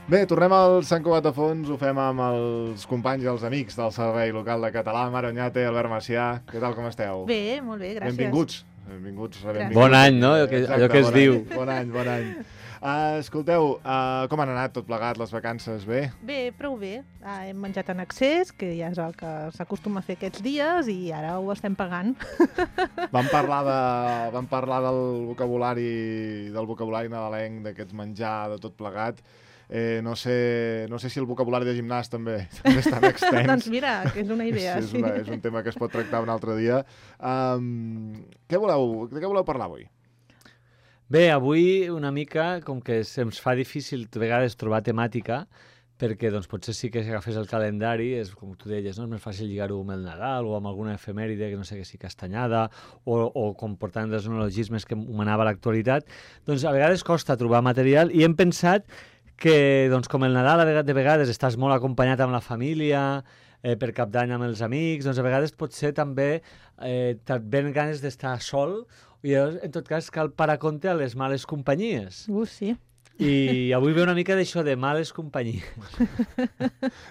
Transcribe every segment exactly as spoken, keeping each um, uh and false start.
Bé, tornem al Sant Cugat de Fons, ho fem amb els companys i els amics del Servei Local de Català, Mare Oñate, Albert Macià. Què tal, com esteu? Bé, molt bé, gràcies. Benvinguts. Benvinguts, benvinguts. Bon any, no? Allò que, Exacte, allò que es bon diu. Any, bon any, bon any. Uh, escolteu, uh, com han anat tot plegat, les vacances? Bé? Bé, prou bé. Ah, hem menjat en excés, que ja és el que s'acostuma a fer aquests dies, i ara ho estem pagant. Vam parlar, de, vam parlar del vocabulari del vocabulari nadalenc, d'aquests menjar, de tot plegat. Eh, no, sé, no sé si el vocabulari de gimnàs també, també és tan extens. Doncs mira, que és una idea. Sí, és, una, és un tema que es pot tractar un altre dia. Um, què voleu, de què voleu parlar avui? Bé, avui una mica, com que se'ns fa difícil a vegades trobar temàtica, perquè doncs, potser sí que si agafes el calendari, és com tu deies, no? És més fàcil lligar-ho amb el Nadal o amb alguna efemèride, que no sé que sí, castanyada, o, o com portant dels neologismes que manava l'actualitat, doncs a vegades costa trobar material i hem pensat que doncs, com el Nadal de vegades estàs molt acompanyat amb la família, eh, per Cap d'Any amb els amics, doncs a vegades potser també eh, et ven ganes d'estar sol, i llavors, en tot cas, cal parar compte a les males companyies. Uh, sí. I avui ve una mica d'això de males companyies.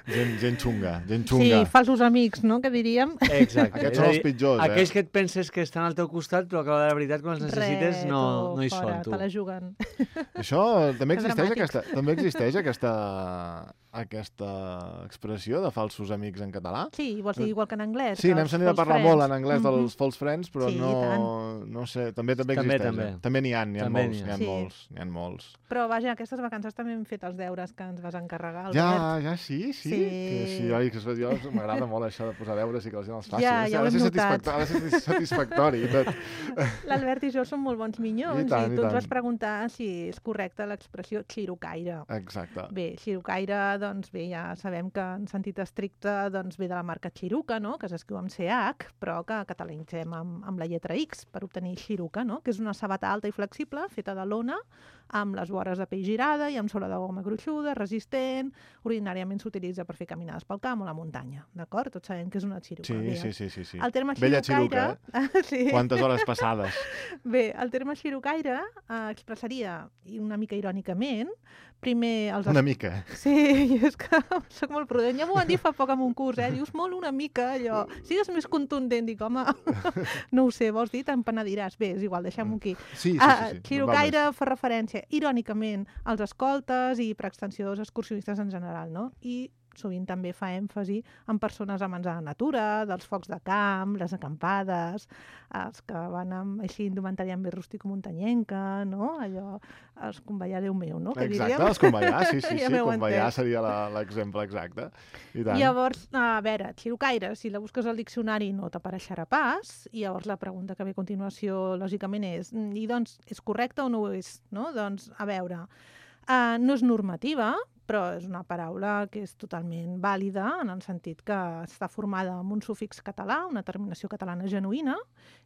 Gent, gent xunga, gent xunga. Sí, falsos amics, no?, que diríem. Aquests Exacte. És són a els dir, pitjors, eh? Aquells que et penses que estan al teu costat, però que a la veritat, quan els necessites, Ret, no, o no hi fora, són, tu. te la juguen. Això també Que existeix, dramàtic. aquesta, també existeix aquesta, aquesta expressió de falsos amics en català? Sí, vols dir igual que en anglès? Sí, que n'hem els sentit a false parlar friends. molt en anglès dels Mhm. false friends, però Sí, no, no sé, també també També, existeix. també. eh? També n'hi ha, n'hi ha També molts, n'hi n'hi ha. ha Sí. molts, n'hi ha molts. Però vaja, aquestes vacances també hem fet els deures que ens vas encarregar, Albert. Ja, ja, sí, sí. Sí. Que sí, oi, que jo m'agrada molt això de posar deures i que la gent els faci. Ja, Ha de ser- ja ho ha de hem ser notat. satisfactori, ha de ser satisfactori i tot. L'Albert i jo som molt bons minyons I tant, i i tu ens tant. vas preguntar si és correcta l'expressió xirocaire. Exacte. Bé, xirocaire, doncs bé, ja sabem que en sentit estricte doncs ve de la marca Xiruca, no?, que s'escriu amb C H, però que catalanitzem amb, amb la lletra X per obtenir xiruca, no?, que és una sabata alta i flexible feta de lona, amb les vores de pell girada i amb sola de goma gruixuda, resistent. Ordinàriament s'utilitza per fer caminades pel camp o la muntanya, d'acord? Tots sabem que és una xiruca. Sí, Bé, sí, sí, sí, sí. El terme Bella xirucaire... xiruca, sí. Quantes hores passades. Bé, el terme xirucaire eh, expressaria, i una mica irònicament, primer els... Una mica. Sí, és que soc molt prudent. Ja m'ho van dir fa poc en un curs, eh? Dius molt una mica, allò. Sigues més contundent, dic, home, no ho sé, vols dir? Te'n penediràs. Bé, és igual, deixem-ho aquí. Sí, sí, Ah, sí. sí. Xirucaire fa referència, irònicament, als escoltes i, per extensió, als excursionistes en general, no? I sovint també fa èmfasi en persones amants de la natura, dels focs de camp, les acampades, els que van amb així indumentària més rústico-muntanyenca, no? Allò, els convallar, Déu meu, no? Que Exacte, diríem. els convallar, sí, sí, Ja sí, m'heu convallar entès. seria la- l'exemple exacte. I tant. Llavors, a veure, xirucaire, si la busques al diccionari no t'apareixerà pas, i llavors la pregunta que ve a continuació, lògicament, és, mm, i doncs, és correcte o no ho és? No? Doncs, a veure, uh, no és normativa, però és una paraula que és totalment vàlida en el sentit que està formada amb un sufix català, una terminació catalana genuïna,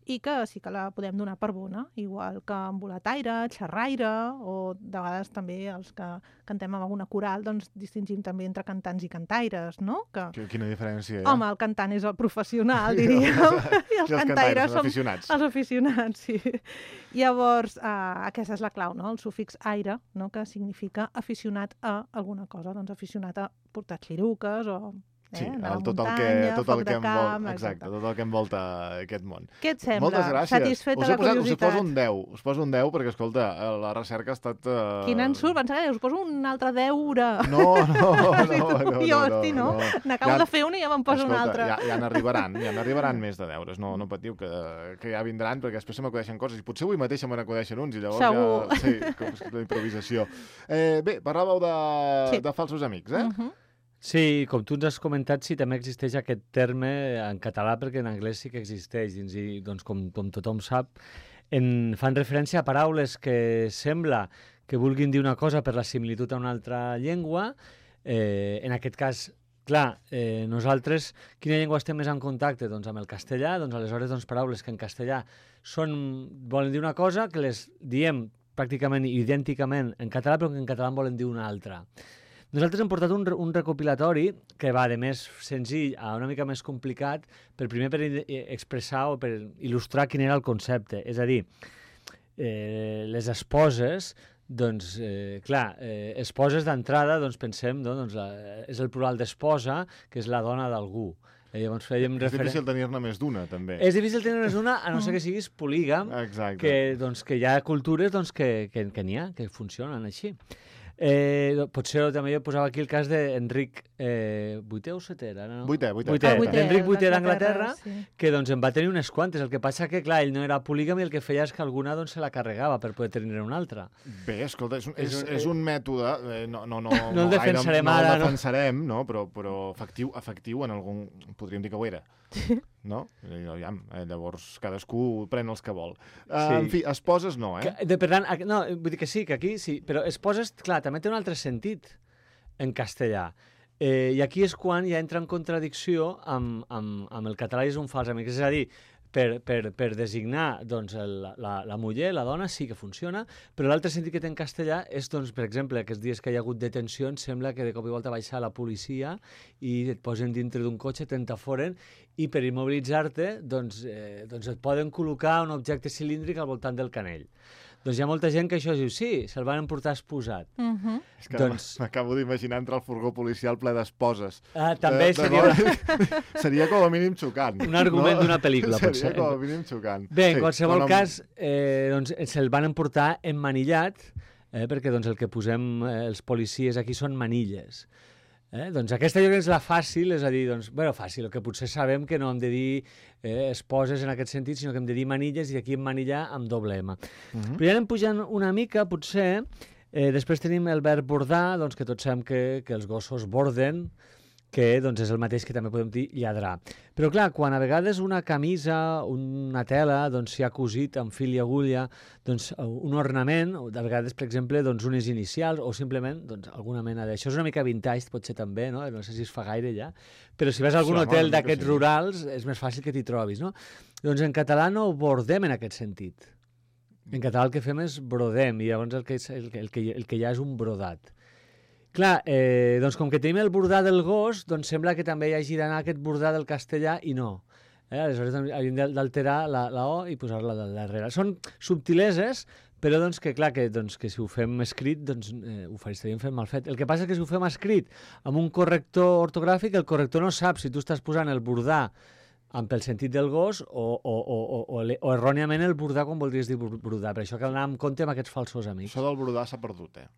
i que sí que la podem donar per bona, igual que embolataire, xerraire, o de vegades també els que cantem amb alguna coral, doncs distingim també entre cantants i cantaires, no? Que, Qui- Quina diferència, eh? home, el cantant és el professional, diríem, i els, I els cantaires cantaires, són aficionats. els aficionats, sí. Llavors, eh, aquesta és la clau, no? El sufix aire, no? Que significa aficionat a alguna cosa, doncs aficionat a portar xiruques o eh, Sí, anar a el, la tot el que, muntanya, tot foc el que de envol, camp, exacte, exacte. tot el que envolta aquest món. Què et sembla? Moltes gràcies. Satisfeta us la he posat, us he curiositat. poso un deu, us poso un deu perquè, escolta, la recerca ha estat... Uh... Quin ensurt, pensava que us poso un altre deure. No, no, no, Sí, no, tu, no, jo, hosti, no? N'acabo Ja- de fer una i ja me'n poso Escolta, una altra. Ja, ja n'arribaran, ja n'arribaran més de deures, no, no patiu, que, que ja vindran, perquè després se m'acudeixen coses, i potser avui mateix se me n'acudeixen uns, i llavors Segur. ja... Sí, com és la improvisació. Eh, bé, parlàveu de, Sí. de falsos amics, eh? Uh -huh. Sí, com tu ens has comentat, sí, també existeix aquest terme en català, perquè en anglès sí que existeix, dins i, doncs, com, com tothom sap, en, fan referència a paraules que sembla que vulguin dir una cosa per la similitud a una altra llengua. Eh, en aquest cas, clar, eh, nosaltres, quina llengua estem més en contacte? Doncs amb el castellà, doncs aleshores doncs, paraules que en castellà són, volen dir una cosa, que les diem pràcticament idènticament en català, però que en català en volen dir una altra. Nosaltres hem portat un, un recopilatori que va de més senzill a una mica més complicat, per primer per expressar o per il·lustrar quin era el concepte. És a dir, eh, les esposes doncs, eh, clar, eh, esposes d'entrada, doncs pensem, no? doncs, la, és el plural d'esposa, que és la dona d'algú. Eh, llavors fèiem És referen... difícil tenir-ne més d'una, també. És difícil tenir-ne una, a no ser que siguis polígam, Exacte. que, doncs, que hi ha cultures doncs, que, que, que n'hi ha, que funcionen així. Eh, potser també jo posava aquí el cas d'Enric eh, vuitè o setè, ara, no? Vuitè, vuitè. vuitè. Ah, vuitè, Enric vuitè d'Anglaterra, d'Anglaterra, sí. que doncs, en va tenir unes quantes. El que passa que, clar, ell no era polígam i el que feia és que alguna doncs, se la carregava per poder tenir una altra. Bé, escolta, és un, és, És un- és un mètode, eh, no, no, no, No el defensarem gaire, ara, no el no? defensarem, no? Però, però efectiu, efectiu en algun... Podríem dir que ho era. No? Eh, Aviam, eh, llavors cadascú pren els que vol. Uh, Sí. En fi, esposes no, eh? Que, de, per tant, aquí- no, vull dir que sí, que aquí sí, però esposes, clar, també té un altre sentit en castellà. Eh, I aquí és quan ja entra en contradicció amb, amb, amb el català i és un fals amic. És a dir, per, per, per designar doncs, el, la, la muller, la dona, sí que funciona, però l'altre sentit que té en castellà és, doncs, per exemple, aquests dies que hi ha hagut detencions, sembla que de cop i volta baixa la policia i et posen dintre d'un cotxe, t'entaforen, i per immobilitzar-te doncs, eh, doncs et poden col·locar un objecte cilíndric al voltant del canell. Doncs hi ha molta gent que això diu, sí, se'l van emportar esposat. Uh -huh. És que doncs- m'acabo d'imaginar entrar al furgó policial ple d'esposes. Ah, també De- de seria dona- seria com a mínim xocant. un argument d'una pel·lícula, Seria potser. com a mínim xocant. Bé, en Sí, qualsevol però no- cas, eh, doncs, se'l van emportar emmanillat, eh, perquè doncs, el que posem eh, els policies aquí són manilles. Eh? Doncs aquesta jo crec que és la fàcil, és a dir, doncs, bueno, fàcil, el que potser sabem que no hem de dir eh, esposes en aquest sentit, sinó que hem de dir manilles i aquí emmanillar amb doble M. Uh -huh. Però ja anem pujant una mica, potser, eh, després tenim el verb bordar, doncs, que tots sabem que, que els gossos borden, que doncs, és el mateix que també podem dir lladrar. Però clar, quan a vegades una camisa, una tela, doncs, s'hi ha cosit amb fil i agulla, doncs, un ornament, o de vegades, per exemple, doncs, unes inicials, o simplement doncs, alguna mena d'això. És una mica vintage, potser també, no? No sé si es fa gaire ja, però si vas a algun Sí, home, hotel una mica d'aquests sí. rurals és més fàcil que t'hi trobis, no? Doncs en català no bordem en aquest sentit. En català el que fem és brodem, i llavors el que, és, el, que- el, que, el que hi ha és un brodat. Clar, eh, doncs com que tenim el bordar del gos, doncs sembla que també hi hagi d'anar aquest bordar del castellà i no. Eh? Aleshores doncs, hauríem d'alterar la, la O i posar-la de darrere. Són subtileses, però doncs que clar, que, doncs, que si ho fem escrit, doncs eh, ho estaríem fent mal fet. El que passa és que si ho fem escrit amb un corrector ortogràfic, el corrector no sap si tu estàs posant el bordar amb el sentit del gos o, o, o, o, o, o erròniament el bordar quan voldries dir bordar. Per això cal anar amb compte amb aquests falsos amics. Això del brodar s'ha perdut, eh?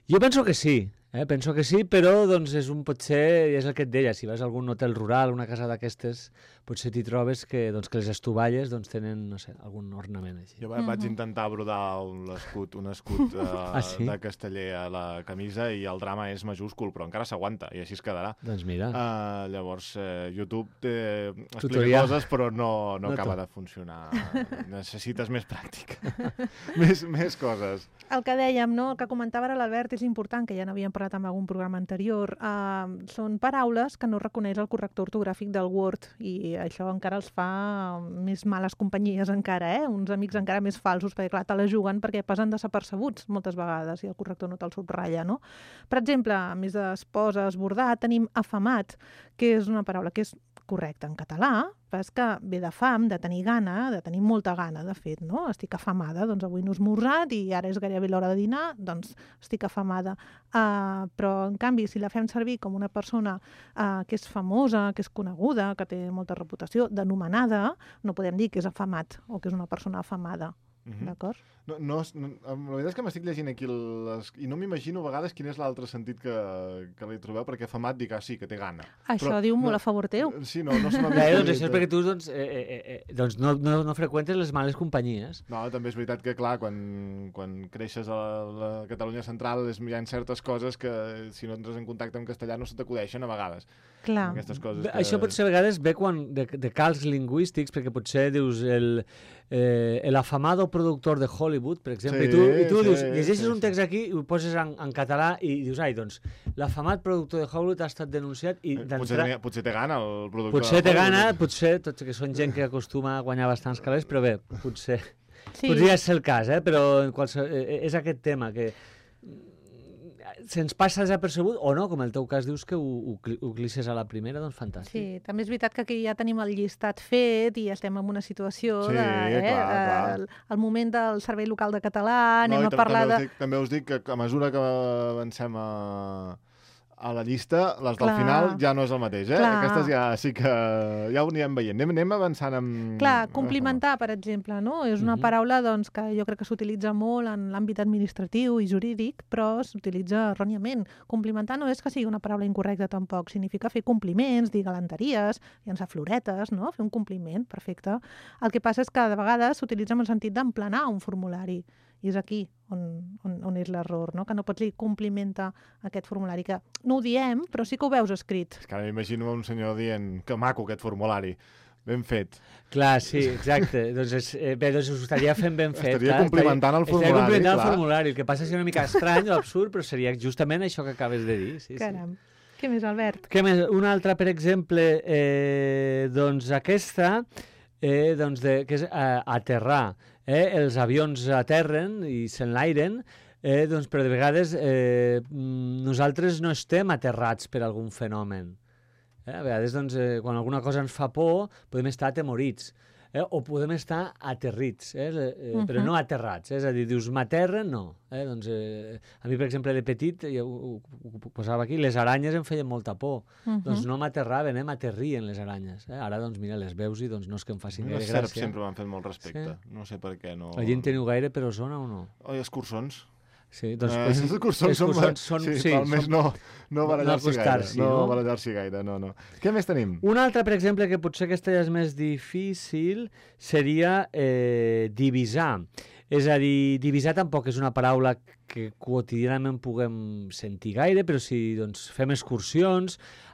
Jo penso que sí, eh? penso que sí, però doncs és un potser, és el que et deia, si vas a algun hotel rural, una casa d'aquestes, potser t'hi trobes que, doncs, que les estovalles doncs, tenen, no sé, algun ornament així. Jo va- vaig intentar brodar un escut, un escut uh, Ah, sí? de casteller a la camisa i el drama és majúscul, però encara s'aguanta i així es quedarà. Doncs mira, Uh, llavors, uh, YouTube té, explica Tutorial. coses, però no, no, No acaba tot. de funcionar. Necessites més pràctica. més, més coses. El que dèiem, no? El que comentava ara l'Albert és important, que ja n'havíem parlat en algun programa anterior. Uh, són paraules que no reconeix el corrector ortogràfic del Word i això encara els fa més males companyies encara, eh? Uns amics encara més falsos, perquè clar, te la juguen perquè passen desapercebuts moltes vegades i el corrector no te'l subratlla, no? Per exemple, a més d'esposes, bordar, tenim afamat, que és una paraula que és correcta en català, però és que ve de fam, de tenir gana, de tenir molta gana, de fet, no? Estic afamada, doncs avui no he esmorzat i ara és gairebé l'hora de dinar, doncs estic afamada. Uh, però, en canvi, si la fem servir com una persona uh, que és famosa, que és coneguda, que té molta reputació, denomenada, no podem dir que és afamat o que és una persona afamada. Mhm. D'acord? No, no, no, la veritat és que m'estic llegint aquí les, i no m'imagino a vegades quin és l'altre sentit que, que li trobeu, perquè afamat dic, ah, sí, que té gana. Això Però diu no- molt a favor teu. Sí, no, no se m'havia Bé, doncs acudit, això és eh? perquè tu doncs, eh, eh, eh, doncs no, no, no freqüentes les males companyies. No, també és veritat que, clar, quan, quan creixes a la, la Catalunya central és, hi ha certes coses que, si no entres en contacte amb castellà, no se t'acudeixen a vegades. Clar. Aquestes coses Bé, que... Això potser a vegades ve quan, de, de calcs lingüístics, perquè potser dius el, eh, el afamado productor de Hollywood, per exemple, Sí, i tu, i tu sí, dius, llegeixes sí, un text aquí i ho poses en, en català i dius, ai, doncs, l'afamat productor de Hollywood ha estat denunciat i Eh, Potser, d'entrada... tenia- potser té gana el productor. Potser de té Hollywood. gana, potser, tots que són gent que acostuma a guanyar bastants calés, però bé, potser, Sí. podria ser el cas, eh? Però en qualsevol, eh, és aquest tema que se'ns passa desapercebut, o no, com el teu cas dius que ho, ho, ho clisses a la primera, doncs fantàstic. Sí, també és veritat que aquí ja tenim el llistat fet i estem en una situació Sí, de... Eh, clar, eh, clar. El, el moment del Servei Local de Català, No, anem i a tam- parlar també de... us dic, també us dic que a mesura que avancem a, a la llista, les del Clar. final ja no és el mateix, eh? Clar. Aquestes ja sí que ja ho anirem veient. Anem, anem avançant amb... Clar, complimentar, per exemple, no? És una Mhm. paraula doncs, que jo crec que s'utilitza molt en l'àmbit administratiu i jurídic, però s'utilitza erròniament. Complimentar no és que sigui una paraula incorrecta tampoc, significa fer compliments, dir galanteries, llançar floretes, no? Fer un compliment, perfecte. El que passa és que de vegades s'utilitza en el sentit d'emplenar un formulari. I és aquí on, on, on és l'error, no? Que no pots dir complimenta aquest formulari, que no ho diem, però sí que ho veus escrit. És que ara m'imagino un senyor dient que maco aquest formulari. Ben fet. Clar, sí, exacte. doncs és, eh, bé, doncs ho estaria fent ben fet. Estaria clar, complimentant el Estaria formulari, complimentant el clar. formulari. El que passa és una mica estrany o absurd, però seria justament això que acabes de dir. Sí, sí. Caram. Què més, Albert? Què més? Una altra, per exemple, eh, doncs aquesta, eh, doncs de, que és eh, aterrar. Eh? Els avions aterren i s'enlairen, eh, doncs, però de vegades eh, nosaltres no estem aterrats per algun fenomen. Eh? A vegades, doncs, eh, quan alguna cosa ens fa por, podem estar atemorits. Eh? O podem estar aterrits, eh? Eh, uh-huh. però no aterrats. Eh? És a dir, dius, m'aterren? No. Eh? Doncs, eh, a mi, per exemple, de petit, ja ho, ho, ho posava aquí, les aranyes em feien molta por. Uh-huh. Doncs no m'aterraven, eh? M'aterrien les aranyes. Eh? Ara, doncs, mira, les veus i doncs, no és que em facin gaire Les serps gràcia. sempre m'han fet molt respecte. Sí. No sé per què no... La gent teniu gaire per Osona o no? Oi, escurçons. Sí, doncs... Eh, els escurçons són... escurçons són... Sí, sí, val més són- no, no barallar-s'hi gaire. acostar-s'hi, No, no? barallar-s'hi gaire, no, no. Què més tenim? Una altra, per exemple, que potser aquesta ja és més difícil, seria eh, divisar. És a dir, divisar tampoc és una paraula que quotidianament puguem sentir gaire, però si doncs, fem excursions,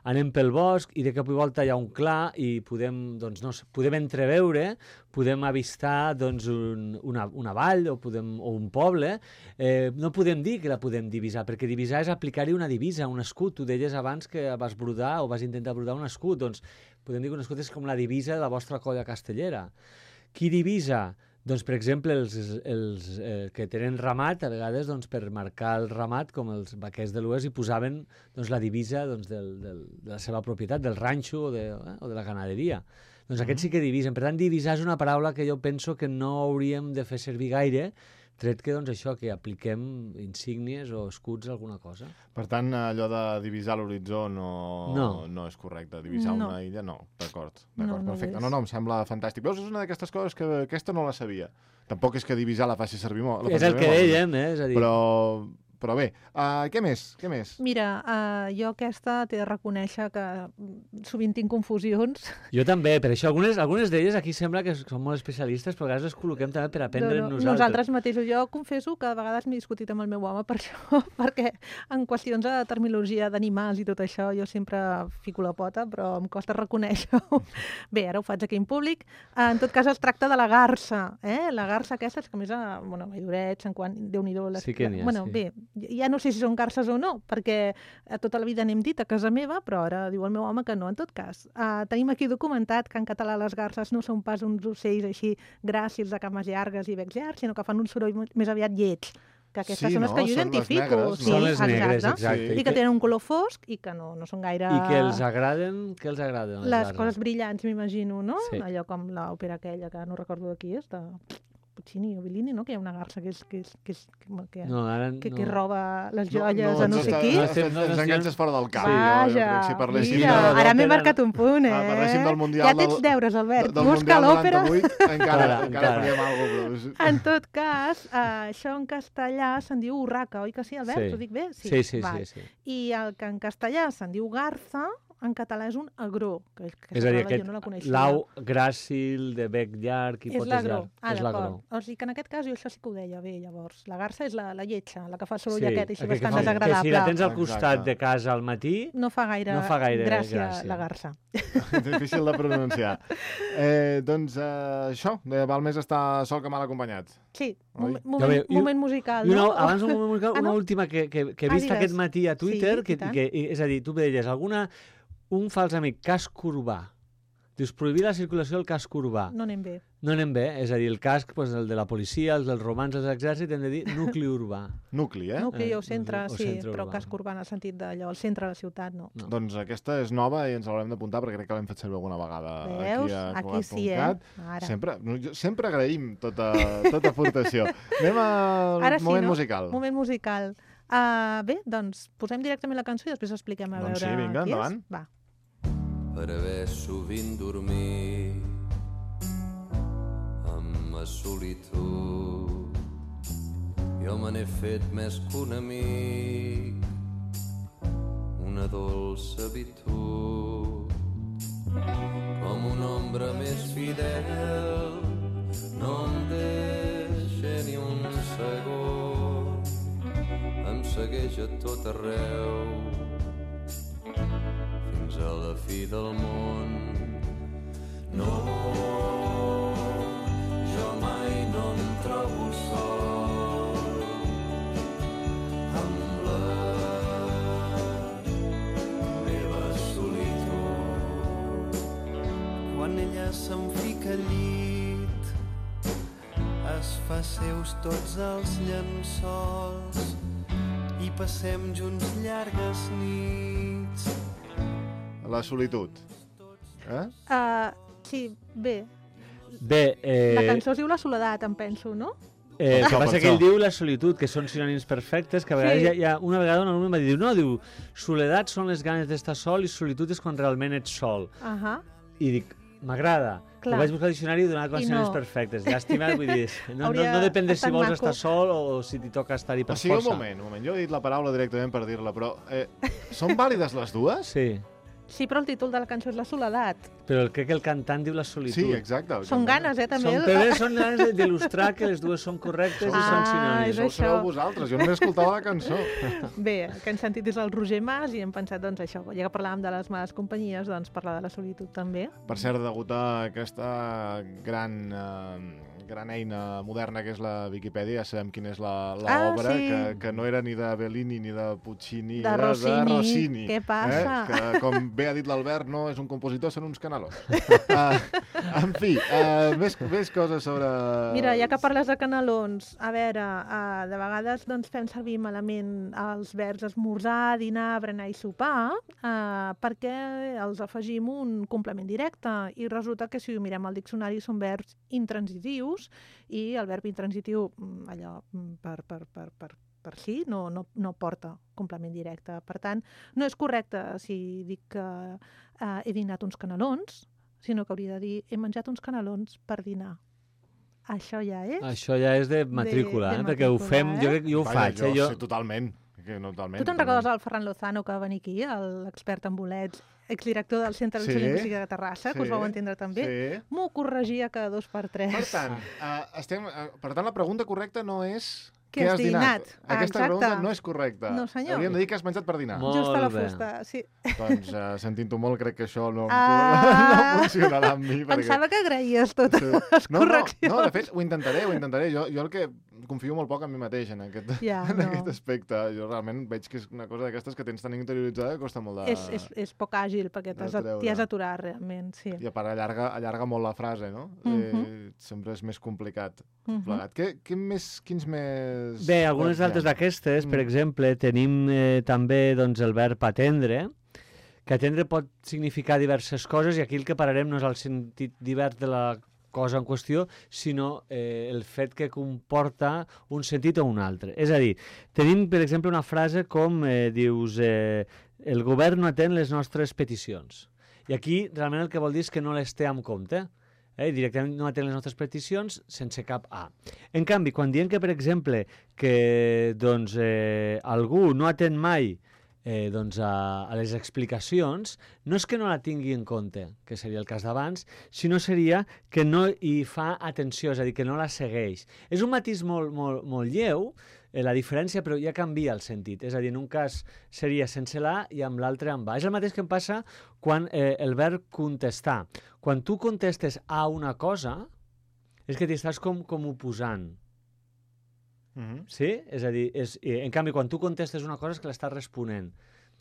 anem pel bosc i de cop i volta hi ha un clar i podem, doncs, no, sé, podem entreveure, podem avistar doncs, un, una, una vall o, podem, o un poble, eh, no podem dir que la podem divisar, perquè divisar és aplicar-hi una divisa, un escut. Tu deies abans que vas brodar o vas intentar brodar un escut, doncs podem dir que un escut és com la divisa de la vostra colla castellera. Qui divisa? Doncs, per exemple, els, els eh, que tenen ramat, a vegades, doncs, per marcar el ramat, com els vaquers de l'Oest, hi posaven doncs, la divisa doncs, del, del, de la seva propietat, del ranxo o de, eh, o de la ganaderia. Doncs mm-hmm. aquests sí que divisen. Per tant, divisar és una paraula que jo penso que no hauríem de fer servir gaire, tret que, doncs, això, que apliquem insígnies o escuts a alguna cosa. Per tant, allò de divisar l'horitzó no, No. no és correcte. Divisar No. una illa, no. D'acord, No, d'acord, no ho perfecte. és. No, no, em sembla fantàstic. Veus, és una d'aquestes coses que aquesta no la sabia. Tampoc és que divisar la faci servir molt. la És faci el que servir molt, dèiem, eh? És a dir, Però, però bé, uh, què més? Què més? Mira, uh, jo aquesta t'he de reconèixer que mm, sovint tinc confusions. jo també, per això algunes, algunes d'elles aquí sembla que són molt especialistes, però a vegades les col·loquem també per aprendre No, no, nosaltres. Nosaltres mateixos. Jo confesso que a vegades m'he discutit amb el meu home per això, perquè en qüestions de terminologia d'animals i tot això jo sempre fico la pota, però em costa reconèixer-ho. Bé, ara ho faig aquí en públic. Eh, En tot cas, es tracta de la garsa. Eh? La garsa aquesta, és que a més, a, bueno, a Valldoret, Sant Quan, Déu-n'hi-do. Les... Sí que n'hi ha, bueno, sí. Bé, ja no sé si són garses o no, perquè a tota la vida n'hem dit a casa meva, però ara diu el meu home que no. En tot cas, uh, tenim aquí documentat que en català les garses no són pas uns ocells així gràcils de cames llargues i becs llargs, sinó que fan un soroll més aviat lleig. Que aquestes Sí, són les no? que jo Són les identifico. negres, sí, no? Són les negres, exacte. I que tenen un color fosc i que no, no són gaire... I que els agraden, què els agraden? Les garses? coses brillants, m'imagino, no? Sí. Allò com l'òpera aquella, que no recordo de qui és, de Puccini o Bellini, no? Que hi ha una garça que és... Que, és, que, és, que, que, No, ara que, no. que roba les joies a no ens sé està- qui. No Ens, estem- no ens estem- enganxes fora del camp. Vaja, jo, jo crec que si parléssim mira, de... ara m'he l'òpera- marcat un punt, eh? Ah, parléssim del Mundial Ja tens del- deures, Albert. del Busca Mundial l'òpera. noranta-vuit, encara, Encara, encara encara. faríem alguna cosa. En tot cas, eh, això en castellà se'n diu urraca, oi que sí, Albert? Sí. Ho dic bé? Sí, sí, Val. sí, sí. I el que en castellà se'n diu garza, en català és un agró, que, que És a dir, jo aquest no la coneixia. lau gràcil de bec llarg i És potes l'agró. llarg. Ah, és l'agró. d'acord. O sigui que en aquest cas jo això sí que ho deia bé, llavors. La garça és la, la lletja, la que fa el soroll Sí, aquest, així aquell que bastant fa- desagradable. Que si la tens al costat Exacte. de casa al matí, No fa gaire, No fa gaire gràcia, gràcia. la garça. Difícil de pronunciar. Eh, doncs eh, això, eh, val més estar sol que mal acompanyat. Sí, Oi? moment, moment, Ja ve- i- moment musical, I una, no? abans un moment musical, Ah, una no? última que, que, que he Ah, vist digues. aquest matí a Twitter, Sí, que, i tant. que, és a dir, tu deies, alguna, un fals amic, cas Corbà, Dius, prohibir la circulació del casc urbà. No anem bé. No anem bé, és a dir, el casc, doncs, el de la policia, el dels romans, els exèrcits, hem de dir nucli urbà. Nucli, eh? Nucli Eh, o centre, o sí, centre però urbà. casc urbà en el sentit d'allò, el centre de la ciutat, no. No. Doncs aquesta és nova i ens l'haurem d'apuntar perquè crec que l'hem fet servir alguna vegada Veus? aquí a Aquí Colat sí, eh? punt cat. Ara. Sempre, no, jo- sempre agraïm tota, tota aportació. Anem al Ara sí, moment no? musical. Moment musical. Uh, bé, doncs posem directament la cançó i després expliquem a Doncs veure sí, vinga, qui endavant. és. Va. Per haver sovint dormit amb la solitud. Jo me n'he fet més que un amic, una dolça habitud. Com una ombra més fidel, no em deixa ni un segon, em segueix a tot arreu, fins a la fi del món. No, jo mai no em trobo sol amb la meva solitud. Quan ella se'n fica al llit, es fa seus tots els llençols i passem junts llargues nits. La solitud. Eh? Uh, sí, bé. Bé, eh, La cançó es diu La soledat, em penso, no? eh, el que Per passa això. que ell diu la solitud, que són sinònims perfectes, que a vegades Sí. hi ha, hi ha una vegada un alumne em va dir, no, diu, soledat són les ganes d'estar sol i solitud és quan realment ets sol. Ahà. I dic, m'agrada. Clar. Ho vaig buscar al diccionari i donar com a I sinònims no. perfectes. Llàstima, vull dir, no, no, Hauria no depèn de si estat vols maco. estar sol o si t'hi toca estar-hi per O sigui, un força. moment, un moment. Jo he dit la paraula directament per dir-la, però eh, són vàlides les dues? Sí, Sí, però el títol de la cançó és La soledat. però crec que el cantant diu la solitud. Sí, exacte. el Són cantant. ganes, eh, també. Són, però són ganes d'il·lustrar que les dues són correctes i Ah, són és sinònims. Això ho sabeu això. vosaltres, jo només escoltava la cançó. Bé, el que hem sentit és el Roger Mas i hem pensat, doncs, això, ja que parlàvem de les males companyies, doncs parlar de la solitud també. Per cert, degut a aquesta gran, eh, gran eina moderna que és la Viquipèdia, ja sabem quina és la, la Ah, obra, sí. que, que no era ni de Bellini ni de Puccini, De era Rossini. de Rossini. Què passa? Eh? Que, com bé ha dit l'Albert, no és un compositor, són uns canalons. uh, en fi, uh, més, més coses sobre... Mira, ja que parles de canelons, a veure, uh, de vegades doncs, fem servir malament els verbs esmorzar, dinar, berenar i sopar, uh, perquè els afegim un complement directe i resulta que si ho mirem al diccionari són verbs intransitius i el verb intransitiu, mm, allò, mm, per, per, per, per, per si, no, no, no porta complement directe. Per tant, no és correcte si dic que uh, he dinat uns canelons, sinó que hauria de dir he menjat uns canelons per dinar. Això ja és... Això ja és de matrícula, de eh? perquè ho matrícula, fem, eh? jo crec que jo ho Vaja, faig. jo, Eh? Jo... sí, totalment. Que no, totalment Tu te'n totalment. recordes el Ferran Lozano que va venir aquí, l'expert en bolets, exdirector del Centre Sí, de Lingüística de Terrassa, que us vau entendre també? Sí. M'ho corregia cada dos per tres. Per tant, uh, estem, uh, per tant, la pregunta correcta no és Què què has has dinat. dinat? Ah, Aquesta exacte. pregunta no és correcta. No, senyor. Hauríem de dir que has menjat per dinar. Molt Just a la bé. fusta, sí. Doncs, uh, sentint-ho molt, crec que això no, Ah! no funcionarà amb mi. Pensava que agraïes totes Sí. les no, no, correccions. no, de fet, ho intentaré, ho intentaré. Jo, jo el que confio molt poc en mi mateix en aquest, Ja, en no. aquest aspecte. Jo realment veig que és una cosa d'aquestes que tens tan interioritzada que costa molt de... És, és, és poc àgil, perquè t'has de treure. t'hi has aturat, realment, sí. I a part allarga, allarga molt la frase, no? Mhm. eh, sempre és més complicat. Mhm. Plegat. Què, què més, quins més... Bé, algunes verbs hi ha? altres d'aquestes, per Mm. exemple, tenim eh, també doncs, el verb atendre, que atendre pot significar diverses coses, i aquí el que pararem no és el sentit divers de la cosa en qüestió, sinó eh, el fet que comporta un sentit o un altre. És a dir, tenim, per exemple, una frase com eh, dius eh, el govern no atén les nostres peticions. I aquí realment el que vol dir és que no les té en compte. Eh? Directament no atén les nostres peticions sense cap A. En canvi, quan diem que, per exemple, que doncs, eh, algú no atén mai eh, doncs, a, a les explicacions, no és que no la tingui en compte, que seria el cas d'abans, sinó seria que no hi fa atenció, és a dir, que no la segueix. És un matís molt, molt, molt lleu, eh, la diferència, però ja canvia el sentit. És a dir, en un cas seria sense la i amb l'altre amb A. És el mateix que em passa quan eh, el verb contestar. Quan tu contestes a una cosa, és que t'hi estàs com, com oposant. Mhm. Sí? És a dir, és, eh, en canvi, quan tu contestes una cosa és que l'estàs responent.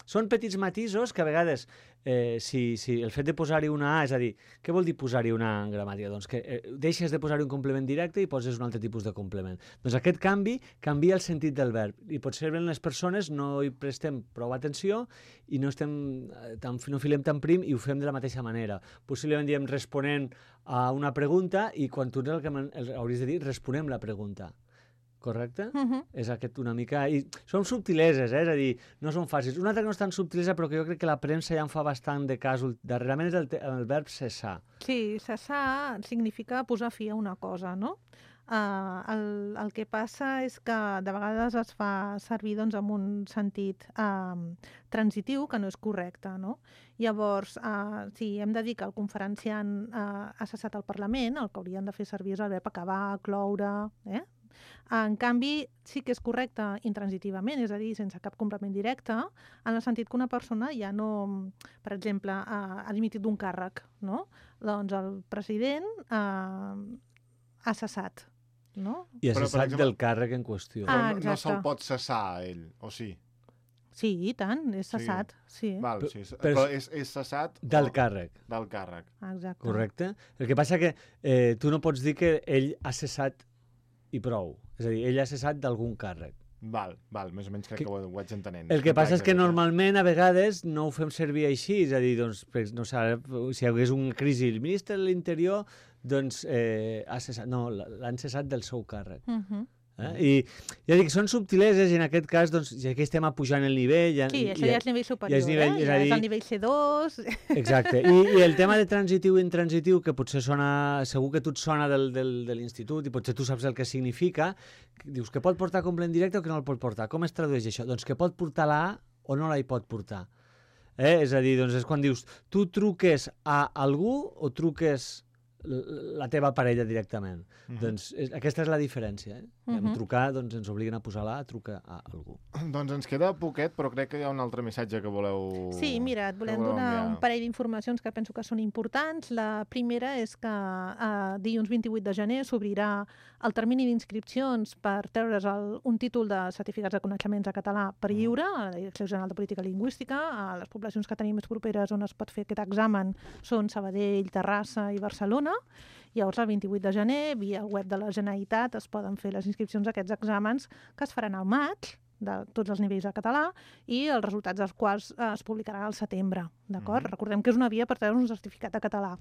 són petits matisos que a vegades, eh, si, si el fet de posar-hi una A, és a dir, què vol dir posar-hi una A en gramàtica? Doncs que eh, deixes de posar-hi un complement directe i poses un altre tipus de complement. Doncs aquest canvi canvia el sentit del verb i potser les persones no hi prestem prou atenció i no, estem tan, no filem tan prim i ho fem de la mateixa manera. Possiblement diem responent a una pregunta i quan tu el que el, hauries de dir responem la pregunta. Correcte? Uh -huh. És aquest una mica... I són subtileses, eh? És a dir, no són fàcils. Una altra que no és tan subtilesa, però que jo crec que la premsa ja en fa bastant de cas. Darrerament és el, el verb cessar. Sí, cessar significa posar fi a una cosa, no? Uh, el, el que passa és que de vegades es fa servir doncs, amb un sentit uh, transitiu que no és correcte, no? Llavors, uh, si hem de dir que el conferenciant uh, ha cessat el Parlament, el que haurien de fer servir és el verb acabar, cloure, eh? En canvi, sí que és correcte intransitivament, és a dir, sense cap complement directe, en el sentit que una persona ja no, per exemple, ha, ha dimitit d'un càrrec, no? Doncs el president eh, ha cessat, no? I ha Però, per cessat exemple- del càrrec en qüestió. Ah, Però no, no exacte. se'l pot cessar a ell, o sí? Sí, i tant, és Sí. cessat, sí. Val, Però- sí. però- Però és, és cessat Del o- càrrec, del càrrec. Exacte. correcte? El que passa que eh, tu no pots dir que ell ha cessat i prou. És a dir, ell ha cessat d'algun càrrec. Val, val, més o menys crec Que- que, ho, ho vaig entenent. El que passa és que Complex, normalment a vegades no ho fem servir així, és a dir, doncs, per- no sé, ara, si hi hagués una crisi, el ministre de l'Interior doncs, eh, ha cessat, no, l'han cessat del seu càrrec. Uh -huh. Eh? I ja dic, són subtileses i en aquest cas, doncs, ja que estem apujant el nivell... Ja, Sí, això ja és nivell superior, és nivell- eh? és a Ja és dir- el nivell C dos... Exacte. I, I el tema de transitiu i intransitiu, que potser sona... Segur que a tu et sona del, del, de l'institut i potser tu saps el que significa. Dius que pot portar complement directe o que no el pot portar. Com es tradueix això? Doncs que pot portar la A o no la hi pot portar. Eh? És a dir, doncs és quan dius tu truques a algú o truques l- la teva parella directament. Mhm. Doncs és, aquesta és la diferència. Eh? Mhm. En trucar doncs, ens obliguen a posar la A, truca a algú. Doncs ens queda poquet, però crec que hi ha un altre missatge que voleu... Sí, mira, et volem que voleu donar enviar. un parell d'informacions que penso que són importants. La primera és que eh, dilluns vint-i-vuit de gener s'obrirà el termini d'inscripcions per treure's el, un títol de certificats de coneixements de català per lliure a la Direcció General de Política Lingüística. A les poblacions que tenim més properes on es pot fer aquest examen són Sabadell, Terrassa i Barcelona. Llavors, el vint-i-vuit de gener, via el web de la Generalitat, es poden fer les inscripcions a aquests exàmens que es faran al maig, de tots els nivells de català, i els resultats dels quals eh, es publicaran al setembre, d'acord? Mhm. Recordem que és una via per treure un certificat de català.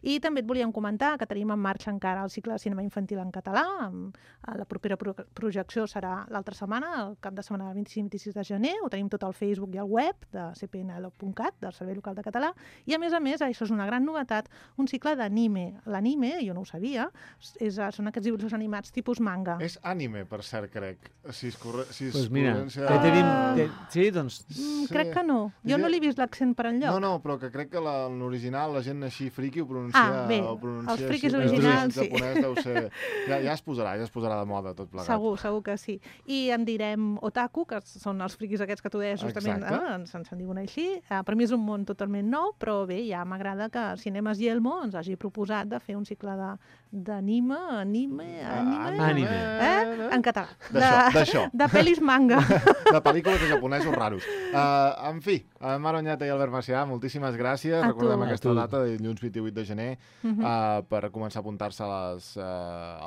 I també et volíem comentar que tenim en marxa encara el cicle de cinema infantil en català. Amb, eh, la propera pro projecció serà l'altra setmana, el cap de setmana del vint-i-cinc vint-i-sis de gener. Ho tenim tot al Facebook i al web de c p n l punt cat, del Servei Local de Català. I, a més a més, això és una gran novetat, un cicle d'anime. L'anime, jo no ho sabia, és, són aquests dibuixos animats tipus manga. És ànime, per cert, crec. Si es, corre... si es Doncs pues mira, pronuncia- que tenim... Ah. Te... Sí, doncs... Mm, sí. crec que no. Jo no li he vist l'accent per enlloc. No, no, però que crec que la- en l'original la gent així friqui ho pronuncia... Ah, bé, ho pronuncia els friquis així, però originals, en sí. japonès deu ser... Ja, ja es posarà, ja es posarà de moda tot plegat. Segur, segur que sí. I en direm otaku, que són els friquis aquests que tu deies justament, Exacte. eh? ens, se'n diuen així. Eh, per mi és un món totalment nou, però bé, ja m'agrada que Cinemes Yelmo ens hagi proposat de fer un cicle de- d'anime, anime, anime, Ànime. eh? en català. D'això, d'això. De pel·lis manga. De pel·lícules de japonesos raros. Uh, en fi, uh, Mar Oñate i Albert Macià, moltíssimes gràcies. A Recordem tu. aquesta A tu. data de dilluns vint-i-vuit de gener Mhm. uh, per començar a apuntar-se a les, uh,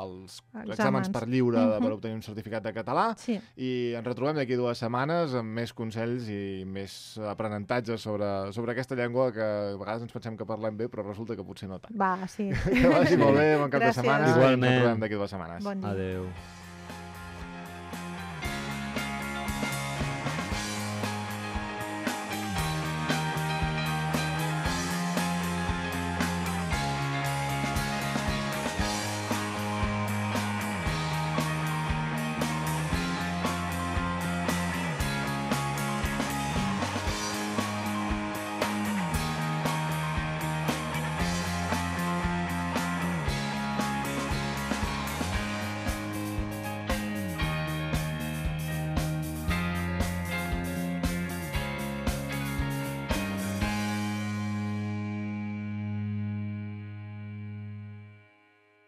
als Exàmens. exàmens per lliure de, per Mhm. obtenir un certificat de català. Sí. I ens retrobem d'aquí dues setmanes amb més consells i més aprenentatges sobre, sobre aquesta llengua que a vegades ens pensem que parlem bé, però resulta que potser no tant. Va, sí. Que vagi molt bé, bon cap Gràcies. de setmana. I ens Igualment. retrobem d'aquí dues setmanes. Bon dia. Adeu.